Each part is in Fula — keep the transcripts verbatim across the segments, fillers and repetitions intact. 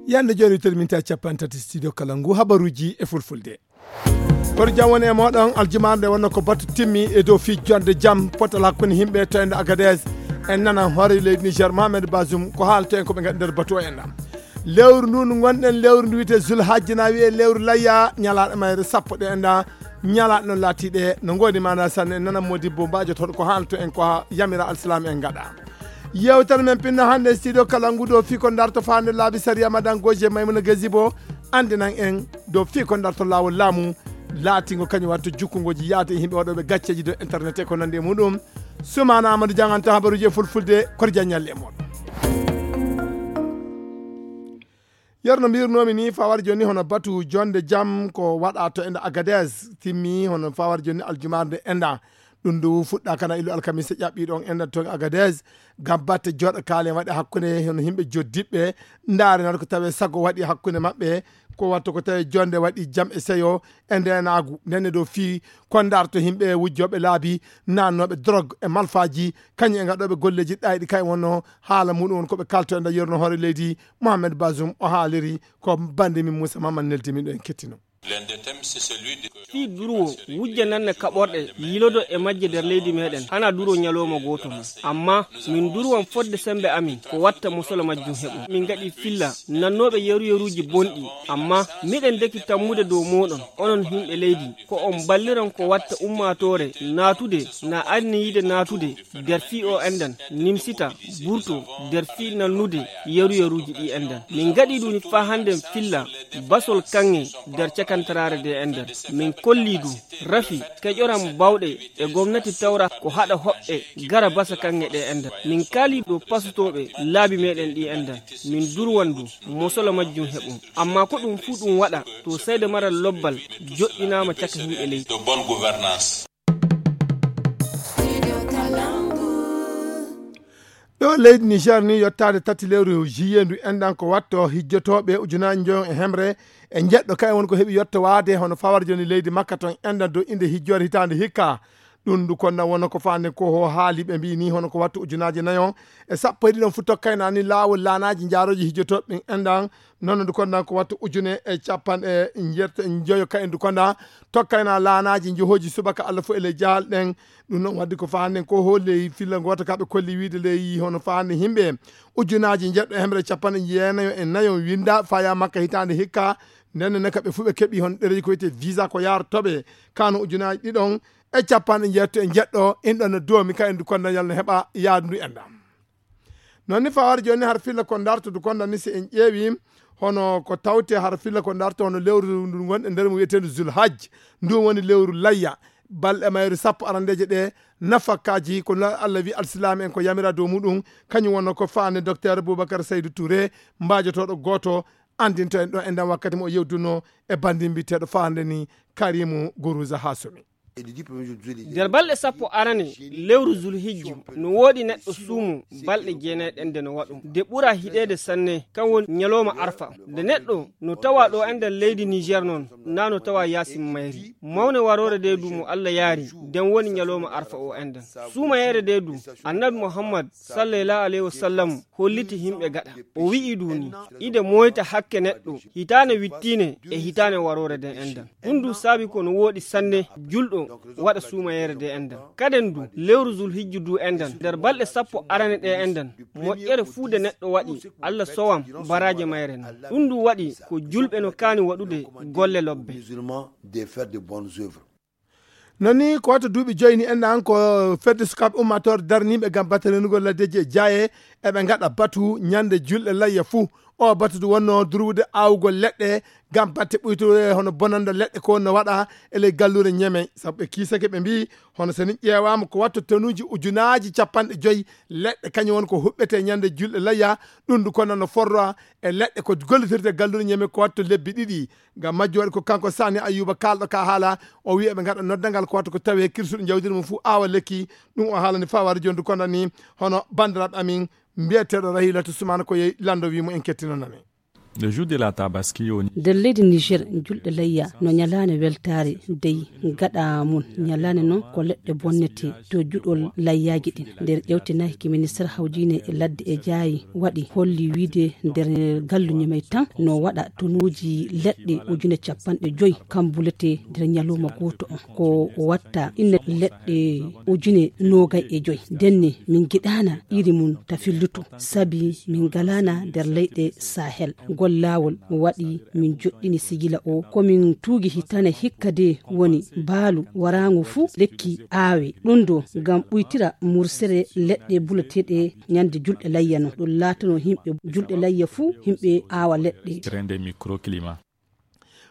Yande jooni terminta capanɗe tati studio kala ngu habaruuji e fulfulde. Kono jam woni e mooɗon, aljumaare nde wonno ko batu timmi e dow fii jonde jam potal hakkunde yimɓe to ende Agadez. En nana hoore leydi Niger, Mohamed Bazoum, ko haalto en ko ɓe ngaɗi nder batu o enɗa. Lewru ndu ndu ngonɗen, lewru ndu wiyetee Zulhajji, na wiyee lewru layya, ñalaaɗe mayre sappo ɗe enɗa. Ñalaaɗe noon laatiiɗe no ngoodi maanaa sanne, en nana modibbo mbaajotoɗo ko haalto en ko haa yamira alsilaam en ngaɗa. Yewtere men pinno hannde studio kala ngu dow fii ko darto faande laabi sariya, madan Goje Maymuna Gazibo anndinan en dow fii ko darto laawol laamu laatingo kañum watto jukkongoji yaade e yimɓe waɗooɓe gacceeji dow internet e ko nanndi e muɗum. Sumaana Amadou Dieng an to habaruuji e fulfulde, koto jaññalle e mooɗon. Yer no mbirnoomi ni, fawar jooni hono batu jonde jam ko waɗa to enda Agadez timmi, hono fawar jooni aljumaare nde enda. Ɗum ndu fuɗɗa kana illu alkamisa ƴaɓɓi ɗon enda to Agadez. Gam batte joɗa kaalen waɗi hakkunde hono yimɓe joddiɓɓe. Ndaare nan ko tawe sago waɗi hakkunde maɓɓe. Ko watto ko tawe jonde waɗi jam e seyo e ndenaagu. Ndenne dow fii ko darto yimɓe wujjooɓe laabi, naannooɓe drogue e malfaaji, kañum e ngaɗooɓe golleeji ɗayɗi kay wonno haala muɗum won ko ɓe kalto e nder yerno hoore leydi. Mohamed Bazoum o haaliri ko bande min Moussa Mamadou neldi min ɗo en kettino. Fii durwo wujja nanne kaɓorɗe yilodo e majje nder leydi meɗen hana duro ñalawma gooto mum. Amma min durwan fodde sembe amin ko watta mosolo majjum heɓo. Min ngaɗi filla nannooɓe yeru-yeruuji bonɗi. Amma miɗen deki tammude dow mooɗon, onon yimɓe leydi, ko on balliran ko watta ummaatoore naatude na anniyiide naatude nder fii o enɗan, nimsita, burto nder fii nannude yeru-yeruuji ɗi enɗan. Min ngaɗi ɗum faa hannden filla basol kaŋŋe nder cakantaraare nde enɗan. Min kollii du rafi keƴoran bawɗe e gomnati tawra ko haɗa hoɓɓe gara basa kaŋŋe ɗe enɗan. Min kaalii dow pasutooɓe laabi meɗen ɗi enɗan. Min durwan du mosolo majjum heɓum. Amma ko ɗum fuu ɗum waɗa to seede maral lobbal joɗɗinaama caka yimɓe leydi. Ɗo leydi Niger ni, yottaade tati lewru juillet ndu enɗan ko watto hijjotooɓe ujunaaji njoyon e hemre e njeɗɗo kay won ko heɓi yottowaade hono fawar jooni leydi Makka ton enɗan dow innde hijjoore hitaande hikka. Ɗum ndu konna wonno ko faande ko ho haali ɓe mbii ni hono ko wattu ujunaaji nayon e sappo e ɗiɗon fu tokkayna ni laawol laanaaji njaarooji hijjotooɓe ɓen enɗan. Noon ndu konna ko wattu ujune e capanɗe njeeto e njoyo kay ndu konna tokkayna laanaaji njohooji subaka Allah fof e ley jahal ɗen. Ɗum noon waddi ko faanden ko ho ley filla ngoota ka ɓe kolli wiide ley hono faande yimɓe ujunaaji njeeɗɗo e hemre capanɗe jeenayo e nayo winda faya Makka hitaande hikka. Nden ne ka ɓe fuu ɓe keɓi hon ɗereji ko wiyetee visa ko yaartoɓe kano ujunaaji ɗiɗon e capanɗe njeeto e njeeɗɗo. In ɗon no doomi ka en du konda yalno heɓa yaadu ndu enɗam. Noon ni fawar jooni har filla ko darto du konda ni si en ƴeewi hono ko tawte har filla ko darto hono lewru ndu ngonɗe nder mo wiyeteendu Zulhajj. Ndu woni lewru layya. Balɗe mayru sappo arandeeje ɗe nafakkaaji ko Allah wi alsilaam en ko yamira dow muɗum. Kañum wonno ko faande docteur Boubacar Seydou Touré, mbaajotooɗo gooto anndinto en ɗo e nden wakkati mo o yewduno e banndi mbiyeteeɗo faande ni Karimu Guruza Hasumi. Nder balɗe sappo arane lewru Zulhijju no woodi neɗɗo suumo balɗe jeenay ɗen de no waɗo. De ɓura hiɗeede sanne kan woni ñalawma Arfa. De neɗɗo no tawa ɗo enɗan leydi Niger noon, na no tawa yaasin mayri. Mawne waroore de du mo Allah yaari, den woni ñalawma Arfa o enɗan. Suumayeere de du, Annabi Muhammad sallallahu alayhi wa sallam holliti himɓe gaɗa. O wi'i du ni, ide moyta hakke neɗɗo, hitaane wittiine e hitaane waroore de enɗan. Ɗum du saabi ko no woodi sanne julɗo waɗa suumayeere de enɗan. Kaden du, lewru Zulhijju du enɗan, nder balɗe sappo arane ɗe enɗan, moƴƴere fuu de neɗɗo waɗi, Allah sowan baraaje mayre non. Ɗum du waɗi ko julɓe no kaani waɗude golle lobbe. Musulman de faire de bonnes œuvres. Non ni ko wato duuɓi joyi ni enɗan ko fedde sukaaɓe ummaatoore darniiɓe ngam batte renugol laddeeji e jaaye, eɓe ngaɗa batu ñande julɗe layya fuu. O batu du wonno durwude aawugol leɗɗe ngam batte ɓuytude hono bonannda leɗɗe ko wonno waɗa e ley galluure Ñeme. Sabu ɓe kiisake ɓe mbii hono so ni ƴeewaama ko watta tonuuji ujunaaji capanɗe joyi leɗɗe kañum won ko huɓɓetee ñande julɗe layya. Ɗum du kono no forra e leɗɗe ko gollitirde galluure Ñeme ko watta lebbi ɗiɗi. Ngam majjum waɗi ko kanko Sani Ayuba kaalɗo ka haala, o wiya ɓe ngaɗa noddangal ko watta ko tawe kirsuɗo jawdiri mum fuu aawa lekki. Ɗum o haalani fawar jondu kono ni hono banndiraaɓe amin mbiyeteeɗo Rahilatu Sumana ko yehi lanndo wi mo en kettinanami. Le jour de la Tabaski, nder leydi Niger, julɗe layya no ñalaande weltaare dey. Gaɗa mum ñalaande noon ko leɗɗe bonnete to juɗol layyaaji ɗin. Nder ƴewte nayi ki minister hawjiine e ladde e jaayi waɗi holli wiide nder gallu Ñamey tan no waɗa tonuuji leɗɗe ujune capanɗe joyi kambulete nder ñalawma gooto on. Ko watta inne leɗɗe ujune noogay e joyi. Ndenne min ngiɗaana iri mum ta fillutu, sabi min ngalaana nder leyɗe Sahel. Ngol laawol waɗi min joɗɗini sigila o. Ko min tuugi hitane hikka de woni baalu waraango fuu lekki aawe. Ɗum ɗo ngam ɓuytira mursere leɗɗe bulateeɗe ñande julɗe layya non. Ɗum laatano yimɓe julɗe layya fuu yimɓe aawa leɗɗe. Rende microclimat.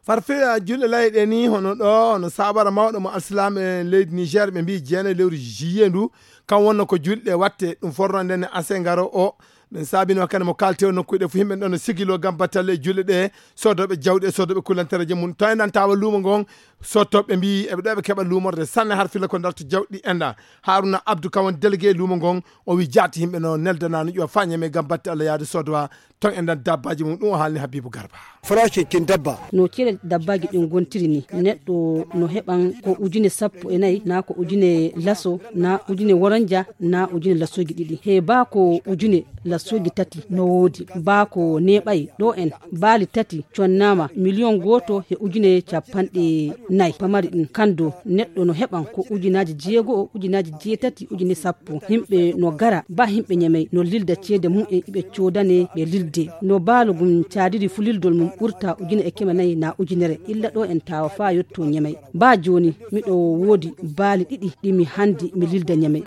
Farfeeya julɗe layya ɗe ni, hono ɗo, hono saabara mawɗo mo alsilaam e leydi Niger, ɓe mbii jeenayi lewru juillet ndu, kam wonno ko julɗe watte, ɗum forno nden e ase ngaro o. Ɗum saabino kadi mo kaalte o nokkuɗe fof yimɓe ɗon no sigilo ngam battale e julɗe ɗe, soodooɓe jawɗi e soodooɓe kulantereeje mum. To enɗan tawa luumo ngon, sottooɓe mbii eɓe ɗo eɓe keɓa luumorde sanne har filla ko darto jawɗi enɗan. Haruna Abdou kam woni délégué luumo ngon, o wi jaati yimɓe no neldana no ƴuwa fa Ñamey ngam batte Allah yaade soodowa ton enɗan dabbaaji mum. Ɗum o haalni Habibu Garba. Farace kin dabba. No cere dabbaaji ɗin gontiri ni, neɗɗo no heɓan ko ujune sappo e nayi, na ko ujune laso, na ujune woronja, na ujune lasoji ɗiɗi. He baa ko ujune lasoji tati no woodi. Baa ko neeɓay ɗo en, baali tati connaama miliyon gooto he ujune capanɗe nayi. Pamari ɗin kando neɗɗo no heɓan ko ujunaaji jeego, ujunaaji jeetati, ujune sappo. Himɓe no gara, ba himɓe Ñamey no lilda ceede mum en iɓe coodane ɓe lilde. No baalu gum caadiri fu lildol mum ɓurta ujune e keme nayi na ujunere. Illa ɗo en tawa faa yotto Ñamey. Ba jooni miɗo woodi baali ɗiɗi ɗi mi handi mi lilda Ñamey.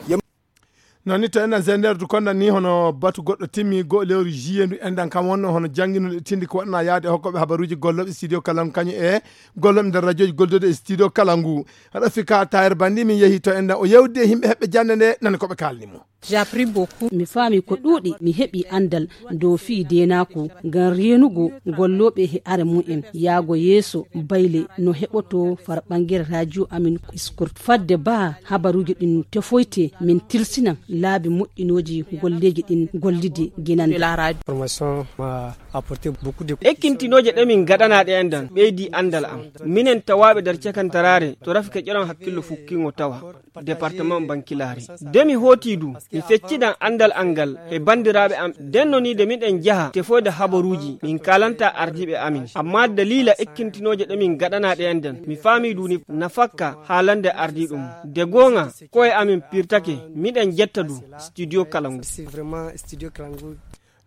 Non ni to enɗan Zender du konɗan ni hono batu goɗɗo timmi go lewru juillet ndu enɗan kam wonno hono jannginuɗo e tindi ko waɗana yaade e hokkooɓe habaruuji gollooɓe studio kala ngu kañum e gollooɓe nder radioji gollude e studio kala ngu. Rafika Taher Bandi min yehi to enɗan o yewdi e yimɓe heɓɓe jannde nde nani ko ɓe kaalni mo. J'ai appris beaucoup. Mi faami ko ɗuuɗi, mi heɓi anndal dow fii deenaaku ngam reenugo gollooɓe he are mum en yaago yeeso. Bayle no heɓoto farɓangere radio amin Iskurt. Fadde baa habaruuji ɗin tefoyte, min tilsinan laabi moƴƴinooji golleeji ɗin gollide ginande. Formation m'a apporté beaucoup de. Ekkintinooje ɗe min ngaɗanaa ɗe enɗan ɓeydi anndal am. Minen tawaaɓe nder cakantaraare to Rafika ƴeran hakkillo fukkingo tawa. Département Bankilaari. De mi hooti du, mi feccidan anndal an ngal e banndiraaɓe am. Den no ni de miɗen jaha tefoyde habaruuji, min kaalanta ardiiɓe amin. Amma daliila ekkintinooje ɗe min ngaɗanaa ɗe enɗan, mi faamii du ni nafakka haalande ardiiɗo mum. De goonga, ko'e amin pirtake, miɗen jetta du studio kala ngu.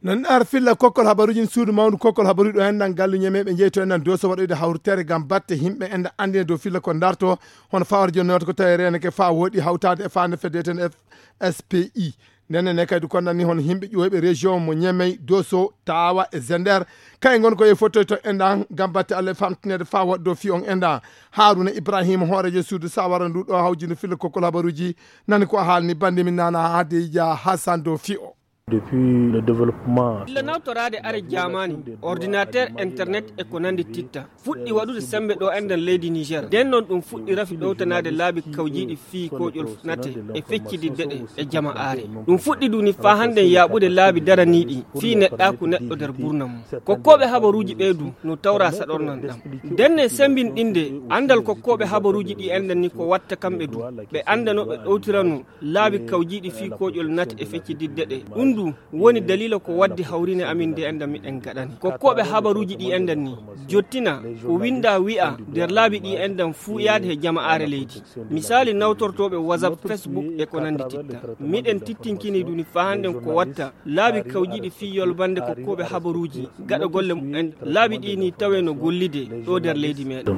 Non ar filla kokkol habaruuji suudu mawndu kokkol habaruuji ɗo enɗan gallu Ñamey ɓe jeyto enɗan doso waɗoyde hawritere ngam batte yimɓe enɗan anndina dow filla ko darto hono fawar jonnooto ko tawi reenake fa woɗi hawtaade e faande fedde eten F S P I. Ndenne ne kadi konɗan ni hono yimɓe ƴooyɓe région mo Ñamey, Doso, Tawa e Zender. Kay ngon ko e fottoy to enɗan ngam batte Allah e famtinede fa waɗdo fi on enɗan. Haruna Ibrahima hoorejo suudu sawara ndu ɗo hawjino filla kokkol habaruuji nani ko haalni bande min nana Hadija Hassan dow fi o. Depuis le développement. Illa nawtoraade are jaamaani, ordinateur, internet e ko nanndi titta fuɗɗi waɗude semmbe ɗo enɗan leydi Niger. Nden noon ɗum fuɗɗi rafi ɗowtanaade laabi kawjiiɗi fii kooƴol nate e feccididde ɗe e jama'aare. Ɗum fuɗɗi duni faa hannden yaaɓude laabi daraniiɗi fii neɗɗaaku neɗɗo nder burna mum. Kokkooɓe habaruuji ɓee du no tawra saɗornan ɗam. Ndenne semmbinɗinde anndal kokkooɓe habaruuji ɗi enɗan ni ko watta kamɓe du ɓe annda no ɓe ɗowtirano laabi kawjiiɗi fii kooƴol nate e feccididde ɗe. Ɗum du woni daliila ko waddi hawrine amin nde enɗan miɗen gaɗani. Kokkooɓe habaruuji ɗi enɗan ni jottina ko winnda wi'a nder laabi ɗi enɗan fuu yaade he jama'aare leydi. Misaali nawtortooɓe WhatsApp, Facebook e ko nanndi titta. Miɗen tittinkini duni faa hannden ko watta laabi kawjiiɗi fii yolbande kokkooɓe habaruuji gaɗa golle mumen. Laabi ɗi ni tawe no gollide ɗo nder leydi meɗen.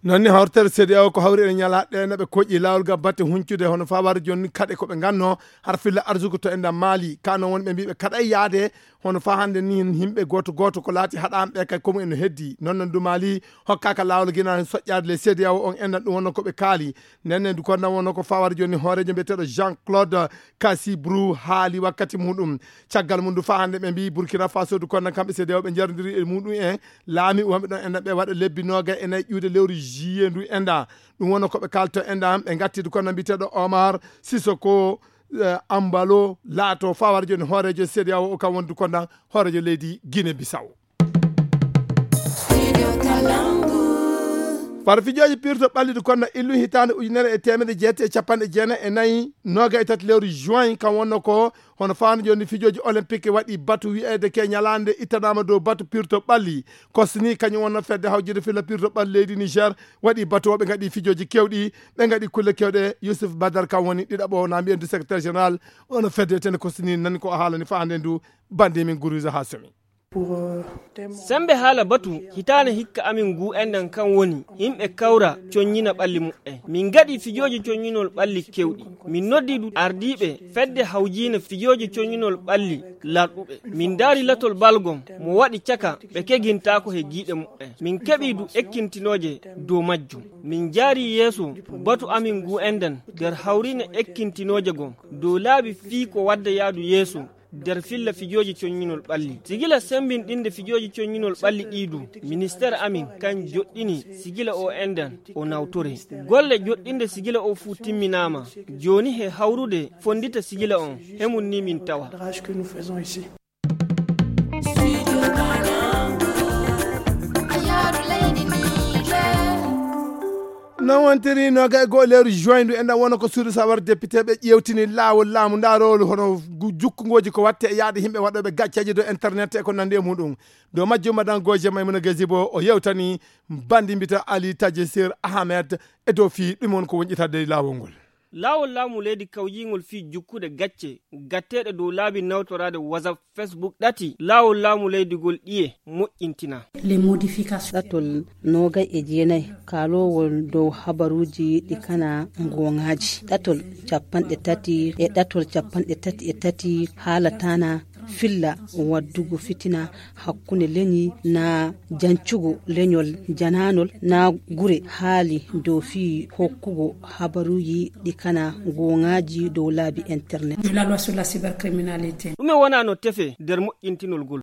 Noon ni hawritere C D A O ko hawri e ñalaaɗe ɗe naɓe koƴi laawol ga batte huncude hono fawar jooni kaɗe ko ɓe nganno har filla arsugo to enɗan Maali. Kano wonɓe mbiɓe kaɗa yaade hono fa hannde ni yimɓe gooto gooto ko laati haɗaanɓe kay ko mumen no heddi. Noon noon du Maali hokkaaka laawol gina soƴƴaade le C D A O on enɗan ɗum wonno ko ɓe kaali. Nden ne du konɗan wonno ko fawar jooni hooreejo mbiyeteeɗo Jean Claude Kasibrou haali wakkati muɗum. Caggal mum du fa hannde ɓe mbi Burkina Faso du konɗan kamɓe C D A O ɓe njarondiri e muɗum en. Laami wonɓe ɗon enɗan ɓe waɗa lebbi noogay e nayi ƴuude lewru juillet ndu enɗan. Ɗum wonno ko ɓe kalto enɗan ɓe ngattidu konɗan mbiyeteeɗo Omar Sissoko, eh, Ambalo laato fawar jooni hooreejo C D A O o kam wondu konɗan hooreejo leydi Guinée Bissau. Far fijooji pirto ɓalli ɗi konna illu hitaande ujunere e teemedde jeetati e capanɗe jeenayi e nayi, nooga e tati lewru juin, kam wonno ko hono faano jooni fijooji olympique waɗi batu wiyeede ke ñalaande ittanaama dow batu pirto ɓalli. Kosni kañum wonno fedde hawjirde filla pirto ɓalli leydi Niger waɗi batu o, ɓe ngaɗi fijooji kewɗi, ɓe ngaɗi kulle kewɗe. Yusuf Badar kam woni ɗiɗaɓo na mbiyen du secrétaire général ono fedde tene kosni nani ko o haalani faande ndu bandi min guruza ha somi. Sembe haala batu hitaane hikka amin ngu enɗan kan woni yimɓe kawra coññina ɓalli muɓɓen. Min ngaɗi fijooji coññinol ɓalli kewɗi. Min noddi du ardiiɓe fedde hawjiina fijooji coññinol ɓalli larɗuɓe. Min ndaari latol balgom mo waɗi caka ɓe kegintaako he giiɗe muɓɓen. Min keɓi du ekkintinooje dow majjum. Min njaari yeeso batu amin ngu enɗan nder hawriine ekkintinooje gom dow laabi fii ko wadda yaadu yeeso nder filla fijooji coññinol ɓalli. Sigila sembinɗinde fijooji coññinol ɓalli ɗii du, ministeer amin kan joɗɗini sigila o enɗan o nawtore. Golle joɗɗinde sigila o fuu timminaama. Jooni he hawrude fonndita sigila on, he mum ni min tawa. Non wontiri nooga e goo lewru juin ndu enɗan wona ko suudu sawar député ɓe ƴeewtini laawol laamu ndarowol hono jukkungooji ko watte e yaade yimɓe waɗooɓe gacceeje dow internet e ko nandi e muɗum. Dow majjum madan goje maymuna gasibo o yewtani bandi mbita ali tajesir ahmed e dow fii ɗum won ko wonƴitade e laawol ngol. Laawol laamu leydi kawjiingol fii jukkude gacce gatteeɗe dow laabi nawtoraade whatsapp, facebook ɗati laawol laamu leydi gol ɗiye moƴƴintina. Ɗatol noogay e jeenay kaaloowol dow habaruuji ɗi kana ngooŋaaji. Ɗatol capanɗe tati e ɗatol capanɗe tati e tati haalataana filla waddugo fitina hakkunde leñi na jancugo leñol janaanol na gure haali dow fii hokkugo habaruuji ɗi kana gooŋaaji dow laabi internet. Ɗume wonaa no tefe nder moƴƴintinol ngol?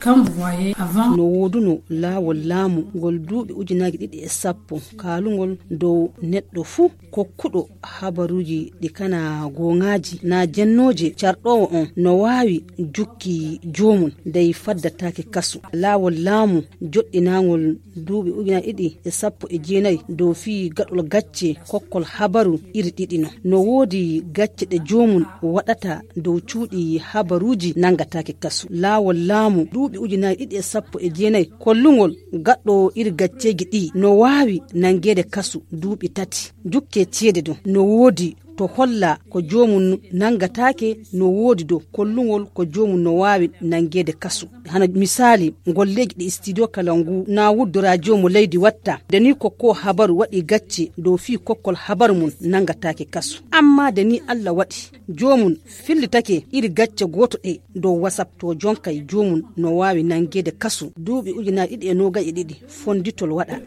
No wooduno laawol laamu ngol duuɓi ujunaaji ɗiɗi e sappo kaalungol dow neɗɗo fuu kokkuɗo habaruuji ɗi kana gooŋaaji na jennooje carɗoowo on no waawi jukki joomum dey faddataake kasu. Laawol laamu joɗɗinaangol duuɓi ujunaaji ɗiɗi e sappo e jeenayi dow fii gaɗol gacce kokkol habaru iri ɗiɗi no. No woodi gacce ɗe joomum waɗata dow cuuɗi habaruuji nanngataake kasu. Laawol laamu duuɓi ujunaaji ɗiɗi e sappo e jeenayi kollungol gaɗɗo iri gacceeji ɗii no waawi nanngeede kasu duuɓi tati. Jukke ceede ɗum no woodi to holla ko joomum nanngataake no woodi dow kollungol ko joomum no waawi nanngeede kasu. Hano misaali ngolleeji ɗi studio kala ngu na wuddo radio mo leydi watta de ni ko ko habaru waɗi gacce dow fii kokkol habaru mum nanngataake kasu. Amma de ni Allah waɗi joomum fillitake iri gacce gooto ɗe dow whatsapp to jonkay joomum no waawi nanngeede kasu duuɓi ujunaaji ɗiɗi e noogay e ɗiɗi fonnditol waɗa.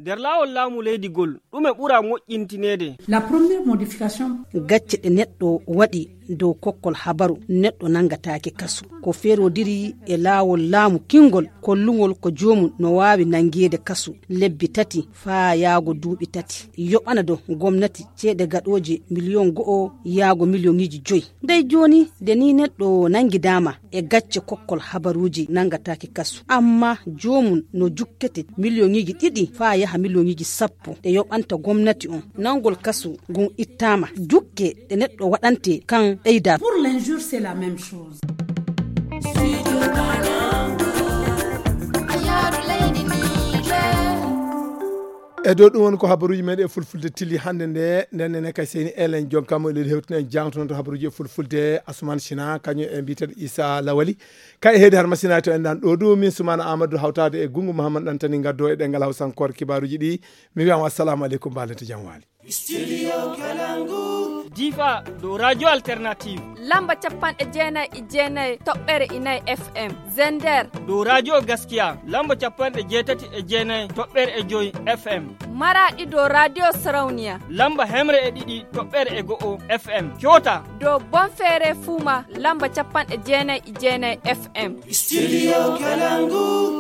Nder laawol laamu leydi gol ɗume ɓura moƴƴintineede? Gacce ɗe neɗɗo waɗi dow kokkol habaru neɗɗo nanngataake kasu ko feerodiri e laawol laamu kinngol kollungol ko joomum no waawi nanngeede kasu lebbi tati faa yaago duuɓi tati yoɓana dow gomnati ceede gaɗooje miliyon go'o yaago miliyoŋiiji joyi. Dey jooni de ni neɗɗo nanngidaama e gacce kokkol habaruuji nanngataake kasu amma joomum no jukkete miliyoŋiiji ɗiɗi faa yaha miliyoŋiiji sappo ɗe yoɓanta gomnati on nanngol kasu ngun ittaama jukke ɗe neɗɗo waɗante kan ɓeydaa. E dow ɗum woni ko habaruuji meɗen e fulfulde tilli hannde nde nden nene kay seni elen jonkamo eɗen hewtina en jangtonoto habaruuji e fulfulde asuman sina kañum e mbiteɗo isa lawali. Kay heedi har masinaji to en ɗan ɗo du min sumana amadou hawtade e gungu mouhammad ɗantani gaddo e ɗengal hawsankore kibaruji ɗi. Mi wiyama assalamu aleykum balente jam wali. Difa dow radio alternative lamba capanɗe jeenayi e jeenayi toɓɓere inayi fm. Zender dow radio gaskiya lamba capanɗe jeetati e jeenayi toɓɓere e joyi fm. Maraɗi dow radio sarauniya lamba hemre e ɗiɗi toɓɓere e go'o fm. Kyoota dow bonfere fuma lamba capanɗe jeenayi e jeenayi fm. Studio kalangu.